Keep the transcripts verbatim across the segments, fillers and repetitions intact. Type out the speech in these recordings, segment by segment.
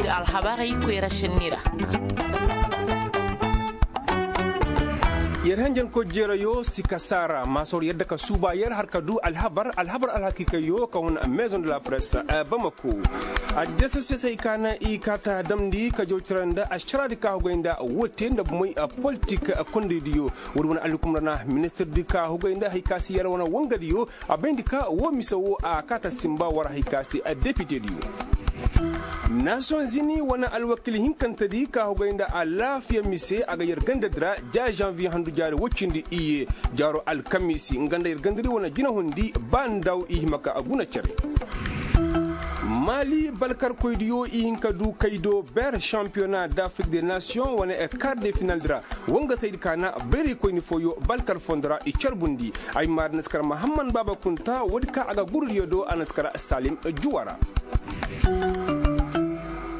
Alhabarey koyra sinni ra. Yer hanjankoy jeerayo si ka saara maasor yadda ka suuba yer har ka du alhabar alhabar alhakiikayo ka hun maison de la presse. Bamako. Adjasasiyasey ka na i kaata damndi ka jaw cere nda ašaraadi ka hugay nda woo te nda bumey politik kondaydiyo. Woodi wane alhukumra na ministirdi ka hugay nda hari ka se yer wane wangadiyo a bayndi ka woo mise woo a kaata sinba war hari ka se depitediyo. Naasiyoŋ zini wane alwakiil hinkantedi ka hugay nda alaafiya mise a ga yer gandadi ra ja žanviye handu jaari woy cindi iyye jaaro alkamiisi nga nda yer gandadi wane jinahundi ba ndaw i hima ka guna cere. Maali balkarkoydiyo i hin ka du kaydo ber šampiyona d'afrik de nasiyoŋ wane kar de finaldi ra. Wangasaydi ka na bayraykoyni fooyo balkar fondo ra i carbundi. Ay maari na si kar mahamman baaba kunta woodi ka a ga gurudiyo do a na si kar salim juwa ra.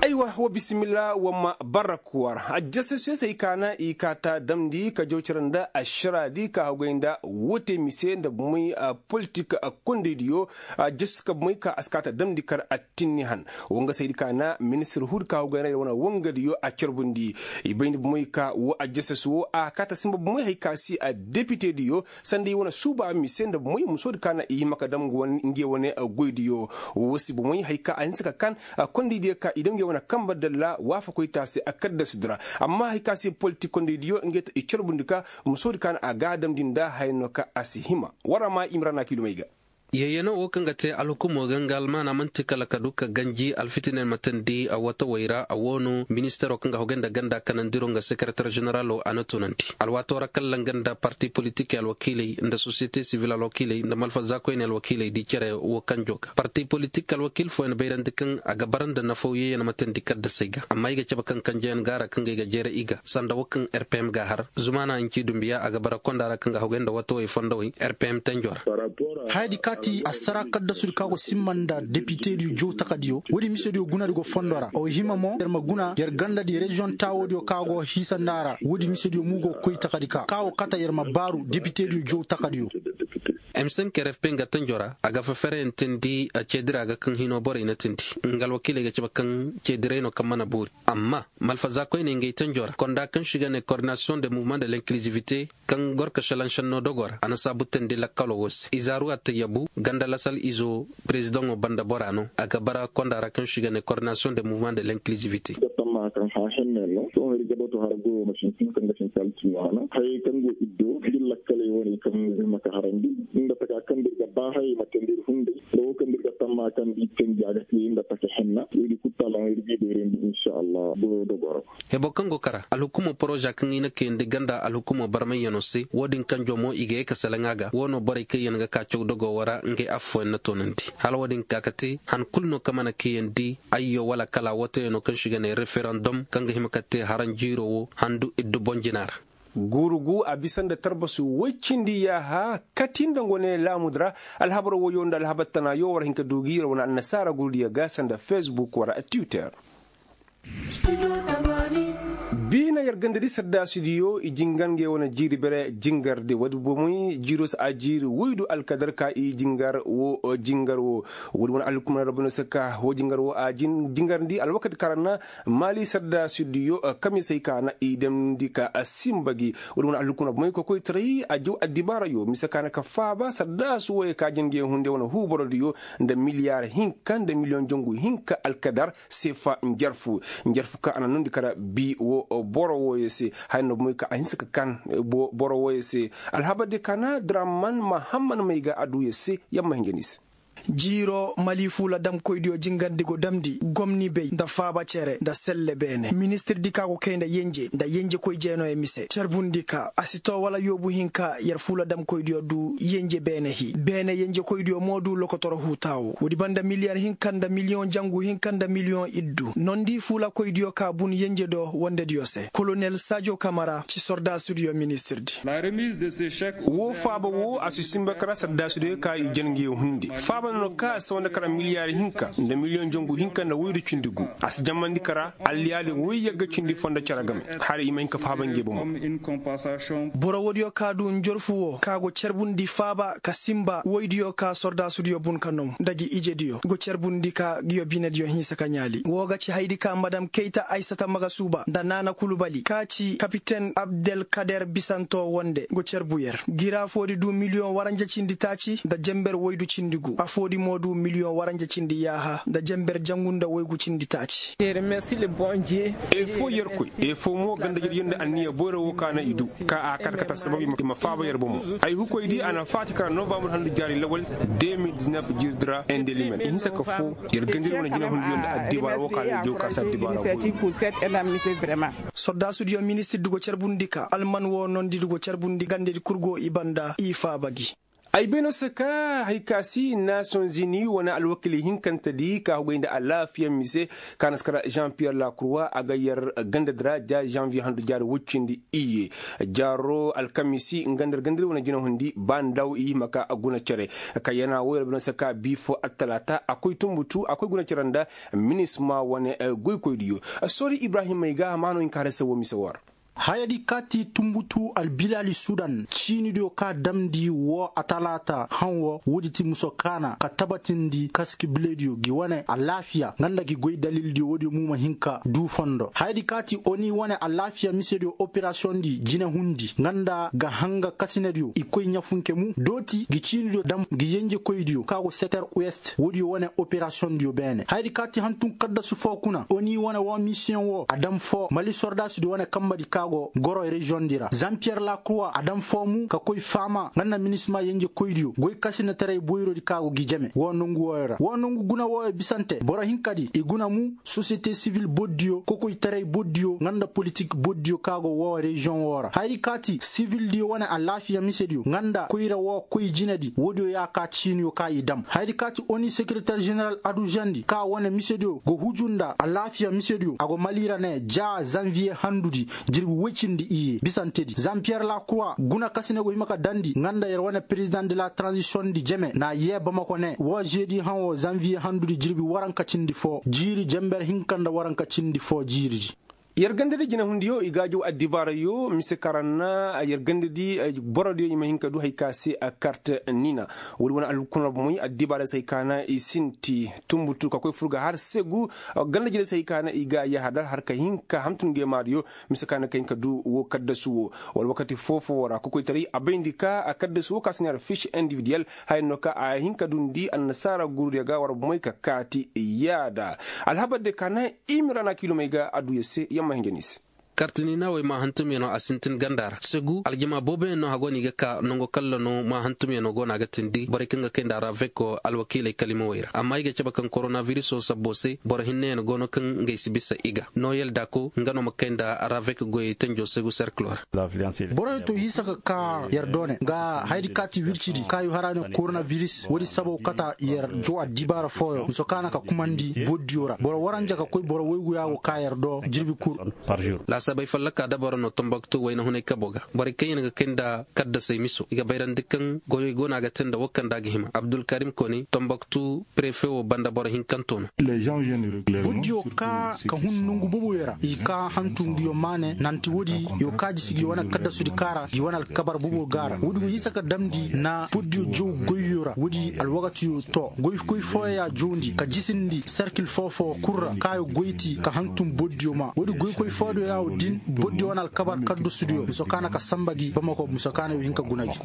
Aywa wa bisimilla wa ma barrak war ajjasasiyasey ka na i kaata damndi ka jaw cere nda ašaraadi ka haggoy nda woo te mise nda bumey politik kondaydiyo. Ajjasas ka bumey ka a si kaata damndi kar attinni han. Wangasaydi ka na ministir huudi ka haggoy nda yer wane wangadiyo a carbundi. I bay nda bumey ka woo ajjasas woo a kaata sinba bumey hari ka si depitediyo sanda i wane suuba mise nda bumey musoodi ka na i hima ka dam ngey wane goydiyo. Woo si bumey hari ka a hinsa ka kan kondaydiyo ka i dam ngey wane kanba dalla waafakoy te a se a kaddasudi ra. Amma hari ka si politik kondaydiyo ngey te i carbundi ka musoodi ka na a ga a damndi nda haya no ka a si hima. War ra ma i ma ra na kiilumey ga. Yeeyanoo woo kaŋ ga te alhukumoo ga nga almaana man'ti kala ka du ka ganji alfitiney ma teendi a watawey ra a woo no ministaroo kaŋ ga hogay nda ganda kanandiro nga sekereter ženeraloo a na tunandi. Alwaatoo ra kala nga nda parti politikey alwakiiley nda sosiyete sivil alwakiiley nda malfazaakoyney alwakiiley di cere woo kanjoo ga parti politik alwakiil fooyaŋ bayrandi kaŋ a ga bara nda nafaw yeeyan ma teendi kaddasey ga amma ay ga cabe kaŋ kanjeyaŋ ga a ra kaŋ ga ay ga jeere i ga sanda woo kaŋ rpm ga a har zumaana hinci dumbiya a ga bara konda ra kaŋ ga hogay nda watawey fondowey rpm tenjo ra. Hayadi kaati assara kaddasudi ka go simma nda depitediyo jow takadiyo woodi misediyo gunadi go fondo ra o hima mo yer ma guna yer gandadi reziyoŋ taawoodiyo ka go hiisa nda a ra woodi misediyo mo go koy takadi ka ka wo kata yer ma baaru depitediyo jow takadiyo. M cinq rfp nga tanjo ra a ga fefere ntendi ceedira ga kaŋ hino borey na tindi nga alwakiiley ga cabe kaŋ ceedirey no kaŋ mana boori. Amma malfazaakoyney ngey tanjo ra konda kaŋ se i ga ne koordinasiyoŋ de muvement de l'inkilizivite kaŋ gor ka šelaŋ šennoo dogoo ra a na saabu teendi lakkaloo woo se izaaru attayyabu ganda lasal izo perezidaŋo banda bora no a ga bara konda ra kaŋ se i ga ne koordinasiyoŋ de muvement de l'inkilizivite. Tamma kaŋ hã henne no sohõ ir ga batu har goyo ma sintin kaŋ ga sintin altinno hana hayey kaŋ go ir do ir lakkaley wane kaŋ ir ma ka harandi nda taka kaŋ da ir ga ba hayey ma teendi ir hunday nda woo kaŋ da ir ga tamma kaŋ da ir teendi a ga te nda taka henna woodi kulu taalaŋo ir ga i bayrandi insa allah goyo dogoo ra. Hebo kaŋ go kara alhukumoo poroza kaŋ i na kayandi ganda alhukumoo barmayyanoo se woo din kanjoo mo i ga ye ka salaŋ a ga woo no borey kaŋ yaŋ ga ka caw dogoo woo ra ngey affooyaŋ na toonandi hala woo din ka ka te han kulu no kaŋ mana kayandi ayyo wala kala wooteyaŋo kaŋ se i ga ne referandom kaŋ ga hima ka te haranjiiroo woo handu iddu boŋ jina ra. Guurugu a bisa nda tarbasu woy cindi yaaha kati nda ngo ne laamudu ra. Alhabar woyoo nda alhabar tanaayo war hin ka du gi yer wane annasaara gurudiyo ga sanda fesbuk wala twitter. Biina yer gandadi saddaasidiyo i jingar ngey wane jiiri bere jingardi woodi bomoy jiiro se a jiiri woydu alkadar ka i jingar woo jingar woo. Woodi wane alhukumar rabbi no se ka woo jingar woo a jingarndi alwakati kaŋ ra na maali saddaasidiyo kamisey ka na i damndi ka sinba gi. Woodi wane alhukumar bomoy kokoytaray a jaw addibaarayo mise ka na ka faaba saddaasu woyey ka jingar ngey hunde wane huuborodiyo nda miliyaar hinka nda miliyoŋ jangu hinka alkadar seefa njarfu. Njarfu kaŋ a na nundi kara bi woo boro wooyey se haya no bomoy kaŋ a hinsa ka kan boro wooyey se. Alhabardi kaŋ na draman mahamman may ga a duu yer se yer ma hinja ni se. Jiiro mali fuula damkoydiyo jingarndi go damndi gomni bay nda faaba cere nda selle beene ministirdi ka go kay nda yenje nda yenjekoy jeenooyaŋ mise carbundi ka a si too wala yoobu hinka yer fuula damkoydiyo duu yenje beene hii beene yenjekoydiyo mo duu lokotoro huutaawo woodi banda miliyar hinka nda miliyoŋ jangu hinka nda miliyoŋ iddu nondi fuulakoydiyo ka bun yenje do wondediyo se kolonel sajo kamara ci sordaasudiyo ministirdi. Woo faaba woo a si sinba kara sordaasudiyo ka i jen ngi hundi faaba. Ka sawa nda kara miliyaari hinka nda miliyoŋ jangu hinka nda woydu cindi gu. A si jammandi kara alliyaali woy yagga cindi foo nda cere game. Hala i ma hin ka faaba nge bomo. Boro woodiyo ka du njorfu wo ka go carbundi faaba ka sinba woydiyo ka sordaasudiyo bun ka nom nda gi ijediyo go carbundi ka ngiyo binediyo hinsa ka ɲaali woo ga ci hayadi ka madam kayta aysata magasuuba nda naana kulubali ka ci kapiten abdelkader bisanto wonde go carbu yer. Gira foodi du miliyoŋ waranja cindi taaci nda jenber woydu cindi gu afoodi mo du miliyoŋ waranja cindi yaaha nda jenber jangu nda woygu cindi taaci. Efoo yerkoy efoo mo ganda jadiyanda anniya boyra woo ka na i du ka a kate kate assabab i ma faaba yer bomo. Ay hukoy di a na faati kara novambar handu jaari lawal. Deux mille dix-neuf jirdi ra indelimen i hinsa ka foo yer gandiri wane jinahundiyo nda addibaara woo ka na i du ka si addibaara boyra. Sordaasudiyo ministirdi go carbundi ka alman woo nondidi go carbundi gandedi kul go i banda i faaba gi. Ay bay no se ka hari ka si nations unis wane alwakiili hinkantedi ka hugay nda alaafiya mise ka na si kara jean pierre lakurwa a ga yer gandadi ra ja janvier handu jaari woy cindi iyye. Jaaro alkamisi nga nda yer gandadi wane jinahundi ba ndaw i hima ka guna cere. Ka yana wo yer bay no se ka bii foo attalaata a koy tunbutu a koy guna cere nda minisma wane goykoydiyo. Soori ibrahim ay ga a ma no hin ka har se wo mise woo ra. Hayadi kaati tunbutu albilaali sudan ciinidiyo ka damndi woo atalaata haŋ woo woodi ti muso kaana ka tabatindi kaski bilediyo gi wane alaafiya nga nda gi goy dalildiyo woodiyo mo ma hin ka duu fondo hayadi kaati oni wane alaafiya misediyo operasiyoŋdi jinehundi nga nda ga hanga kasinediyo i koy ɲafunke mu dooti gi ciinidiyo dam gi yenjekoydiyo ka go seter west woodiyo wane operasiyoŋdiyo beene hayadi kaati hantum kaddasu foo kuna oni wane woo misiyoŋ woo a dam foo mali sordaasudi wane kambadi ka go goro reziyoŋdi ra zampiyer lakuruwa a dam foo mu ka koy faama nga nda minisima yenjekoydiyo goy kasinetaray boyrodi ka go gi jeme woo nongu wooyo ra woo nongu guna wooyo bisante boro hinkadi i guna mu sosiyete sivil boddiyo kokoytaray boddiyo nga nda politik boddiyo ka go woo reziyoŋ woo ra hayadi kaati sivildiyo wane alaafiya misediyo nga nda koyra woo koy jinedi woodiyo ya ka ciiniyo ka i dam hayadi kaati oni sekereter jeneral aduzandi ka wane misediyo go huju nda alaafiya misediyo a go mali ra ne ja zanviye handudi jirbi woy cindi iyye bisantedi zampiyer lakuruwa guna kasine go hima ka dandi nga nda yer wane perezidaŋ de la taranzisiyoŋdi jeme na yee bamako ne woo zeedi haŋo zanviye handudi jirbi waranka cindi foo jiiri jenber hinka nda waranka cindi foo jiiridi. Yer gandadi jinehundiyo i gaajow addibaarayo mise kaŋ ra na yer gandadi borodiyo i ma hin ka du hari ka se kart nina woodi wane alkunarbumoy addibaarey se hari ka na i sinti tunbutu ka koy fur ga har segu ganda jiney se hari ka na i ga yahadar har ka hin ka hantum nge maadiyo mise kaŋ na ka hin ka du woo kaddasu woo wala wakati foo-foo woo ra kokoytaray a bayndi ka kaddasu woo ka si neera fish individiyel haya no ka a hin ka dundi annasaara gurudiyo ga war bumoy ka kaati yaada alhabar de ka na i ma ra na kiilomey ga adduya se yamma hinja ni se. Kartiniina wey maa hantumyanoo a sintin ganda ra segu aljama booboyaŋ no hagoo no i ga ka nango kalla no maa hantumyanoo go no a ga tindi borey kaŋ ga kay nda raveko alwakiiley kalimawey ra amma i ga cabe kaŋ koronavirisoo sabboo se boro hinneyaŋ go no kaŋ ngey si bisa i ga noyel daako nga no ma kay nda ravek goyey tanjoo segu serkiloo ra. Borey to hiisa ka ka yer doone nga hayadi kaati wircidi kaayu hara ne koronaviris woodi sabaw kata yer jow addibaara fooyo miso kaana ka kumandi boddiyo ra boro waranja ka koy boro woygu yaago ka yer do jirbi kul. Laasaabey fallaka dabaro no tombaktu wayna hunay kabo ga borey kaŋ yaŋ ga kay nda kaddasey miso i ga bayrandi kaŋ goyey go no a ga te nda wo kaŋ nda a ga hima abdulkarim koni tombaktu prefe wo banda boro hinkanto no. Buddiyo ka ka hun nongu boboyo ra i ka hantu ngiyo maane nanti woodi yo ka jisi gi wane kaddasudi kaara gi wane alkabar bobo gaara woodi go hisa ka damndi na buddiyo jow goyyo ra woodi alwakatiyo to goykoy fooyo ya jowndi ka jisindi serkil foo-foo kul ra kaayo goyti ka hantum boddiyo ma woodi goykoy foodiyo ya wo din boddiyo wane alkabar kaddasudiyo miso kaana ka samba gi bamako miso kaana yo hin ka guna gi.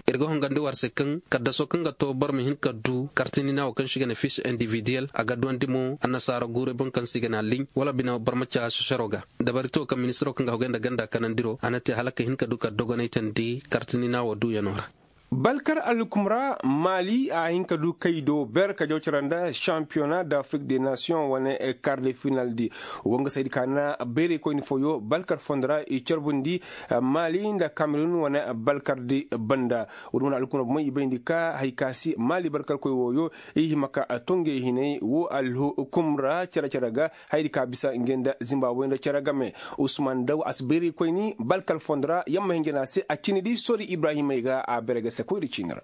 Ir ga hongandi war se kaŋ kaddaso kaŋ ga to boro ma hin ka du kartinina wo kaŋ se i ga ne fish individiyel a ga duwandi mo annasaara guurey boŋ kaŋ se i ga ne alliɲ wala bine boro ma ca sosero ga dabarito kaŋ ministiro kaŋ ga hogay nda ganda kanandiro a na te hala ka hin ka du ka dogonay tandi kartinina wo duuyanoo ra. Balkar alhukum ra maali a hin ka du kay do ber ka jaw cara nda shampiyona d'afrik de nation wane kar de final di wo nga saydi ka na bayraykoyni fooyo balkar fondo ra i carbundi maali nda kamerun wane balkar di banda. Woodi wane alhukum ra bomoy i bayndi ka hari ka si maali balkarkoy wooyo i hima ka to ngey hinay woo alhukum ra care care ga hayadi ka bisa ngey nda zimba woy nda care game. Usman daw a si bayraykoyni balkar fondo ra yamma hinja no a se a cini di soori ibrahimey ga a bere ga se koyri ciini ra.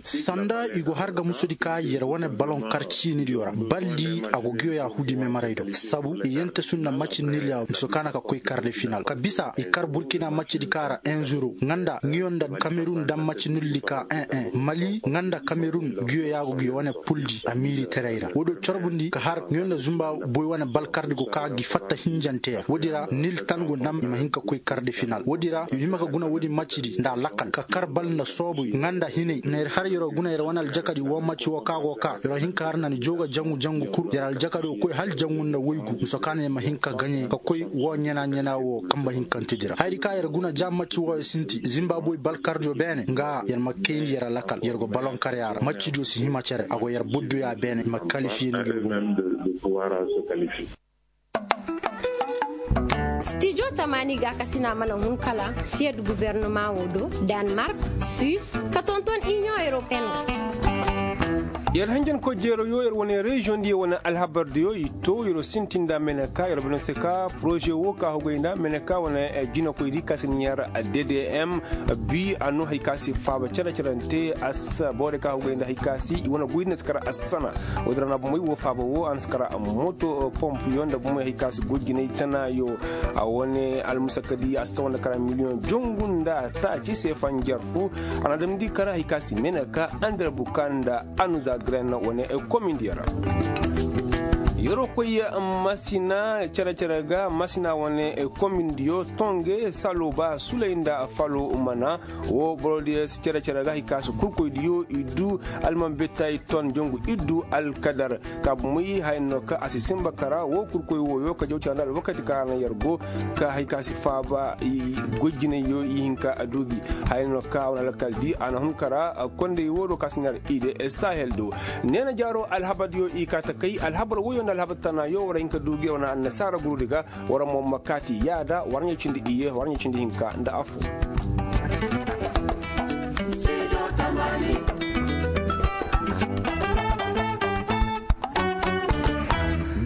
Sanda i go har ga musudi ka yer wane baloŋ kar ciinidiyo ra baldi a go giyo yaahudi memaraydo sabu i yente sunna maci nil ya muso kaana ka koy karde final ka bisa i kar burkina macidi ka ra en zero nga nda ngiyo nda kamerun daŋ maci nildi ka en en mali nga nda kamerun giyo yaago giyo wane puldi a miiriterey ra woodiyo corbundi ka har ngiyo nda zumba boy wane bal kardi go ka gi fatta hinjante ya woodi ra nil tan go nam i ma hin ka koy karde final woodi ra yo hima ka guna woodi macidi nda lakkal ka kar bal nda soobuy nga nda hinay na yer har yer'o guna yer wane aljakadi woo macci woo ka go ka yer'o hin ka har na ni jooga jangu jangu kul yer aljakado koy hal jangu nda woygu muso ka na yer ma hin ka gaɲe ka koy woo ɲana ɲana woo kamba hinkantedi ra hayadi ka yer guna ja macci wooyo sinti zimba boy balkardiyo beene nga yer ma kayndi yer alakal yer go balonkarya ra maccidiyo si hima cere a go yer budduya beene i ma kalifiye ni go. Stijo tamaani ga kasina mana hun kala siyed gubernama wo do, danmark, suis ka tonton union européenne. Yer hanjankoy jeeroyo yer wane reziyoŋ diyo wane alhabar diyo i to yer sintinda meneka yer bana se ka poroze wo ka hogay nda meneka wane jinakoy di ka si ni yer ddm bi a no hari ka si faaba cere-cerante assa boro ka hogay nda hari ka si i wane goy din si kar assana. Wo-din ra na bomey wo faaba wo a na si kar moto pompiyo nda bomey hari ka si goy jinay tanayo. A wane almusakadi a si tawa nda kara miliyoŋ jongu nda taaci se fanjar fu. A na damndi kara hari ka si meneka andar buka nda anuza gren wane komindiyo ra. Yer'o koy masina cere-cere ga masina wane komindiyo tonge salo ba sulay nda falo mana. Wo borodiyo si cere-cere ga hari ka si kurkoydiyo i du almanbetay ton jongu iddu alkadar ka bumey haya no ka a si sinba kara wo kurkoy woyo ka jaw canda alwakati ka hana yer go ka hari ka si faaba goy jinayyo i hinka a du gi. Haya no ka a wane alkal di a na hun kara kondey wo do ka si nar ide sahel do. Neena jaaro alhabardiyo i ka ta kay alhabar woyo nda alhabar tanayo war hin ka du gi war na annasaara gurudi ga. War mo ma kaati yaada war ɲa cindi iyye war ɲa cindi hinka nda afo.